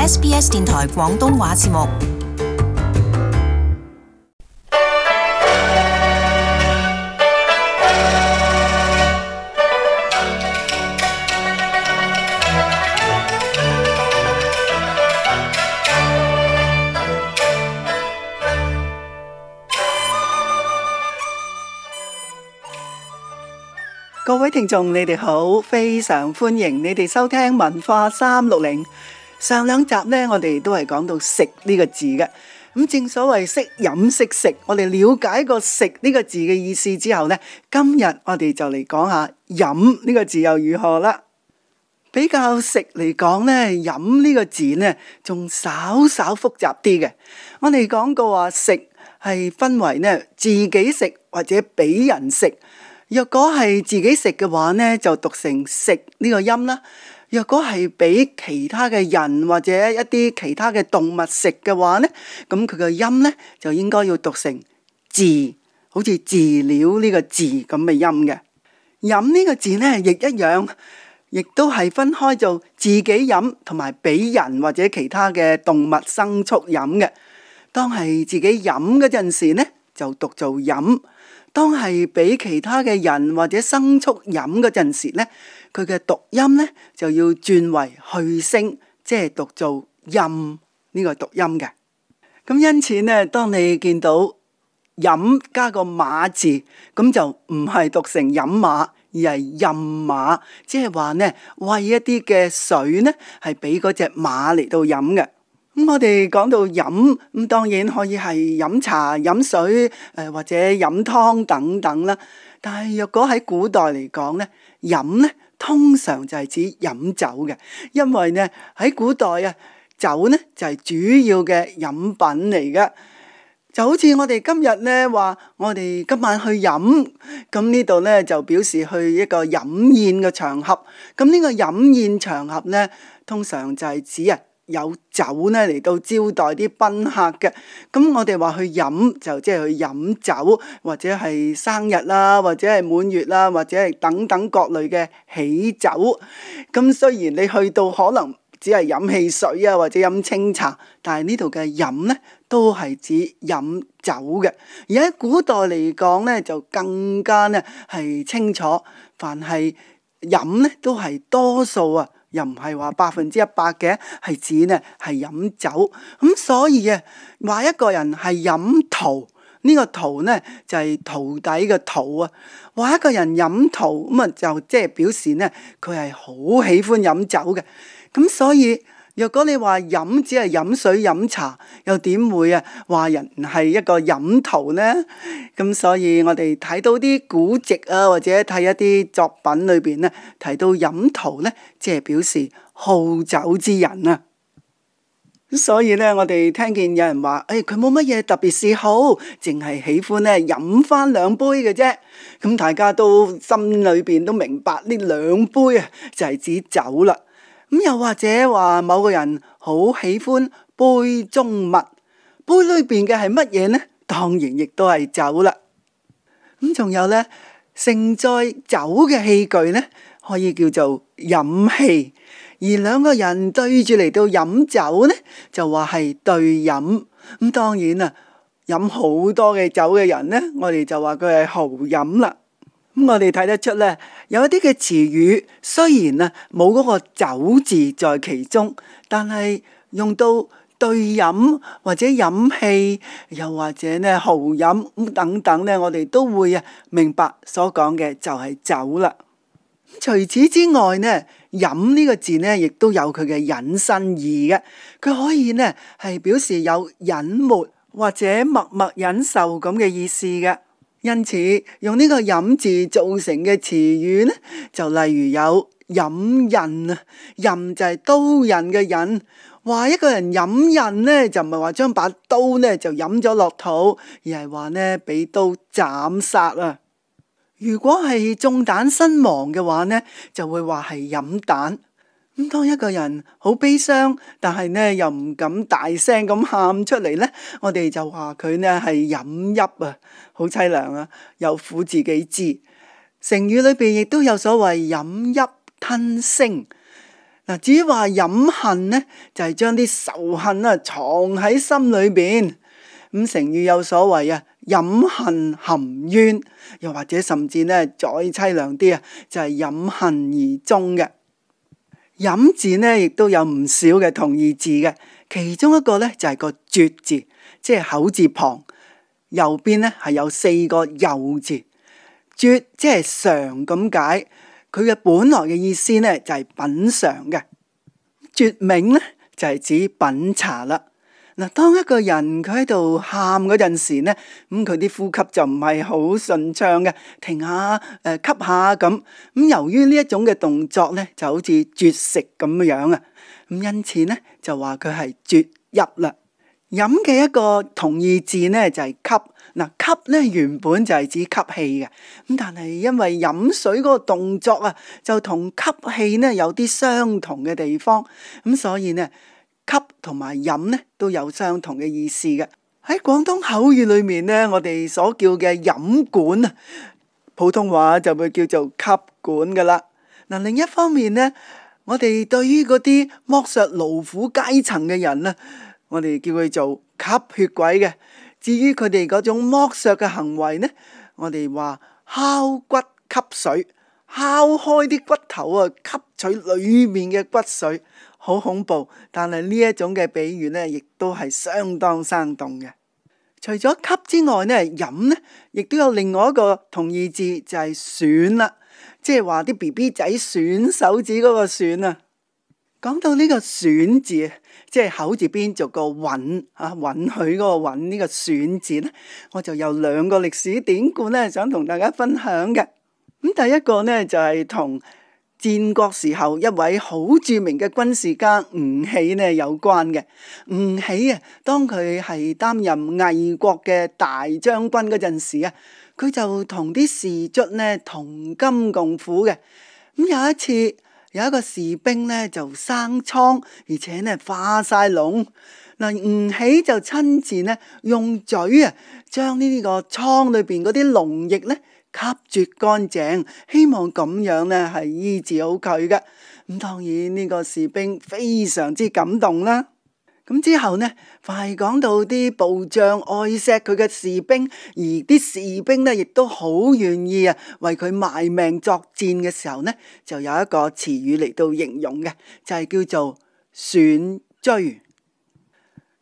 SBS 電台廣東話節目。各位聽眾，你哋好，非常歡迎你哋收聽文化360。上兩集呢，我哋都係講到食呢個字嘅。咁正所謂識飲識食，我哋了解個食呢個字嘅意思之後呢，今日我哋就嚟講下飲呢個字又如何啦。比較食嚟講呢，飲呢個字呢，仲稍稍複雜啲嘅。我哋講過話食係分為呢自己食或者俾人食。若果係自己食嘅話呢，就讀成食呢個音啦。若果係俾其他嘅人或者一啲其他嘅動物食嘅話呢，咁佢個音呢，就應該要讀成飼，好似飼料呢個飼咁嘅音嘅。飲呢個字呢，亦一樣，亦都係分開做自己飲同埋俾人或者其他嘅動物牲畜飲嘅。當係自己飲嗰陣時呢，就讀做飲。當係俾其他嘅人或者牲畜飲嗰陣時呢，佢嘅讀音呢就要轉為去聲，即係讀做飲呢個讀音嘅。咁因此呢，當你見到飲加個馬字，咁就唔係讀成飲馬，而係飲馬，即係話呢，餵一啲嘅水呢係俾嗰隻馬嚟到飲嘅。咁我哋講到飲，咁當然可以係飲茶、飲水，或者飲湯等等啦。但係若果喺古代嚟講呢，飲呢通常就係指飲酒嘅，因為呢喺古代啊，酒呢就係主要嘅飲品嚟嘅。就好似我哋今日呢話，我哋今晚去飲，咁呢度呢就表示去一個飲宴嘅場合。咁呢個飲宴場合呢，通常就係指有酒呢嚟到招待啲賓客嘅。咁我哋話去飲就即係去飲酒，或者係生日啦，或者係滿月啦，或者係等等各類嘅喜酒。咁雖然你去到可能只係飲汽水啊，或者飲清茶，但係呢度嘅飲呢都係指飲酒嘅。而喺古代嚟講呢，就更加呢係清楚，凡係飲呢都係多數啊，又唔係話100%嘅，係指呢係飲酒。咁所以啊，話一個人係飲陶，呢個陶呢就係陶底嘅陶啊。話一個人飲陶，咁啊就即係表示呢佢係好喜歡飲酒嘅。咁所以若果你話飲只係飲水飲茶，又點會啊話人係一個飲陶呢？咁所以我哋睇到啲古籍啊，或者睇一啲作品裏邊呢，提到飲陶呢，即係表示好酒之人啊。所以呢，我哋聽見有人話，佢冇乜嘢特別嗜好，淨係喜歡呢飲翻2杯嘅啫。咁大家都心裏邊都明白呢2杯啊，就係指酒啦。咁又或者話某個人好喜歡杯中物，杯裏邊嘅係乜嘢呢？當然亦都係酒啦。咁仲有呢，盛載酒嘅器具呢，可以叫做飲器。而2個人對住嚟到飲酒呢，就話係對飲。咁當然啊，飲好多嘅酒嘅人呢，我哋就話佢係豪飲啦。咁我哋睇得出呢，有一啲嘅詞語雖然啊冇嗰個酒字在其中，但係用到對飲或者飲器，又或者呢豪飲咁等等呢，我哋都會明白所講嘅就係酒啦。除此之外呢，飲呢個字呢，亦都有佢嘅引申義嘅，佢可以呢係表示有隱沒或者默默忍受咁嘅意思嘅。因此用呢個飲字造成嘅詞語呢，就例如有飲刃啊，刃就係刀刃嘅刃。話一個人飲刃呢，就唔係話將把刀呢就飲咗落肚，而係話呢俾刀斬殺啊。如果係中彈身亡嘅話呢，就會話係飲彈。咁當一個人好悲傷，但係呢又唔敢大聲咁喊出嚟呢，我哋就話佢呢係飲泣啊，好淒涼啊，有苦自己知。成語裏邊亦都有所謂飲泣吞聲。嗱，至於話飲恨呢，就係將啲仇恨啊藏喺心裏邊。咁成語有所謂啊，飲恨含冤，又或者甚至呢再凄涼啲啊，就係飲恨而終嘅。飲字呢亦都有唔少嘅同義字嘅，其中一個呢就係個絕字，即係口字旁，右邊呢係有4個右字。絕即係嘗咁解，佢嘅本來嘅意思呢就係品嘗嘅。絕茗呢就係指品茶啦。嗱，當一個人佢喺度喊嗰陣時呢，咁佢啲呼吸就唔係好順暢嘅，停下吸下咁。咁由於呢一種嘅動作呢，就好似絕食咁樣啊。咁因此呢，就話佢係絕泣啦。飲嘅一個同義字呢，就係吸。嗱，吸呢原本就係指吸氣嘅，咁但係因為飲水嗰個動作啊，就同吸氣呢有啲相同嘅地方，咁所以呢，吸同埋飲呢都有相同嘅意思嘅。喺廣東口語裏面呢，我哋所叫嘅飲管啊，普通話就會叫做吸管噶啦。嗱，另一方面呢，我哋對於嗰啲剝削勞苦階層嘅人呢，我哋叫佢做吸血鬼嘅。至於佢哋嗰種剝削嘅行為呢，我哋話敲骨吸髓，敲開啲骨頭啊，吸取裡面嘅骨髓，好恐怖。但係呢一種嘅比喻呢，亦都係相當生動嘅。除咗吸之外呢，飲呢亦都有另外一個同義字，就係吮啦，即係話啲 BB 仔吮手指嗰個吮啊。講到呢個吮字，即係口字邊做個允啊，允許嗰個允呢個吮字呢，我就有2個歷史典故呢，想同大家分享嘅。咁第一個呢，就係同戰國時候一位好著名嘅軍事家吳起呢有關嘅。吳起啊，當佢係擔任魏國嘅大將軍嗰陣時啊，佢就同啲士卒呢同甘共苦嘅。咁有一次，有一個士兵呢就生瘡，而且呢化晒膿。嗱，吳起就親自呢用嘴啊，將呢個瘡裏邊嗰啲膿液呢吸絕乾淨，希望咁樣呢係醫治好佢嘅。咁當然呢個士兵非常之感動啦。咁之後呢，凡係講到啲部將愛錫佢嘅士兵，而啲士兵呢亦都好願意啊為佢賣命作戰嘅時候呢，就有一個詞語嚟到形容嘅，就係叫做吮疽。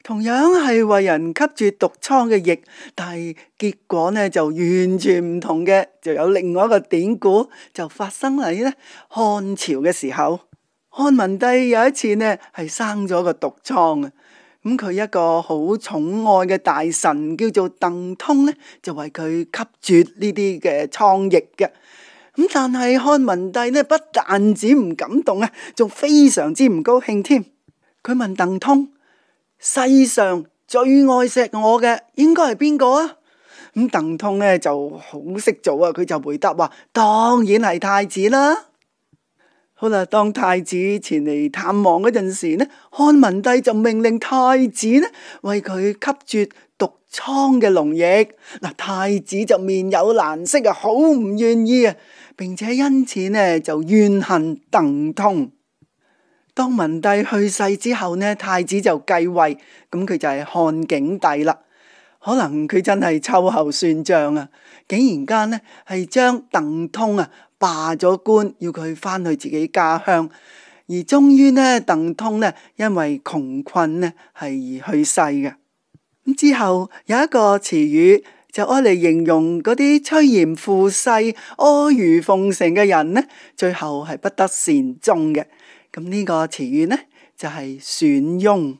同樣係為人吸住毒瘡嘅液，但係結果呢就完全唔同嘅，就有另外一個典故就發生喺呢漢朝嘅時候。漢文帝有一次呢係生咗個毒瘡啊，咁佢一個好寵愛嘅大臣叫做鄧通呢，就為佢吸絕呢啲嘅瘡液嘅。咁但係漢文帝呢不但止唔感動啊，仲非常之唔高興添。佢問鄧通：世上最愛錫我嘅應該係邊個啊？咁鄧通呢就好識做啊，佢就回答話：當然係太子啦。好啦，當太子前嚟探望嗰陣時呢，漢文帝就命令太子呢為佢吸絕毒瘡嘅膿液。嗱，太子就面有難色啊，好唔願意啊，並且因此呢就怨恨鄧通。當文帝去世之後呢，太子就繼位，咁佢就係漢景帝啦。可能佢真係秋後算賬啊，竟然間呢係將鄧通啊罷咗官，要佢翻去自己家鄉，而終於呢鄧通呢因為窮困呢係而去世嘅。咁之後有一個詞語就愛嚟形容嗰啲趨炎附勢、阿諛奉承嘅人呢，最後係不得善終嘅。咁呢個詞語呢就係損庸。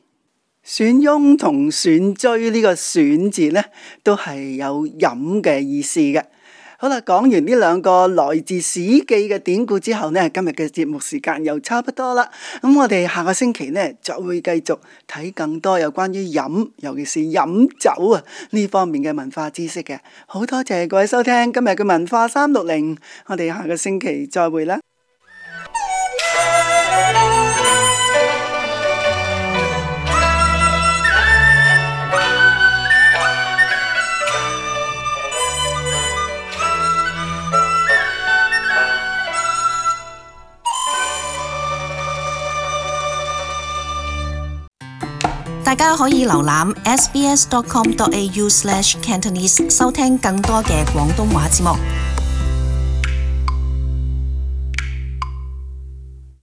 損庸同吮疽呢個吮字呢，都係有飲嘅意思嘅。好啦，講完呢2個來自史記嘅典故之後呢，今日嘅節目時間又差不多啦。咁我哋下個星期呢，就會繼續睇更多有關於飲，尤其是飲酒啊呢方面嘅文化知識嘅。好多謝各位收聽今日嘅文化360，我哋下個星期再會啦。大家可以瀏覽 sbs.com.au/cantonese 收聽更多嘅廣東話節目。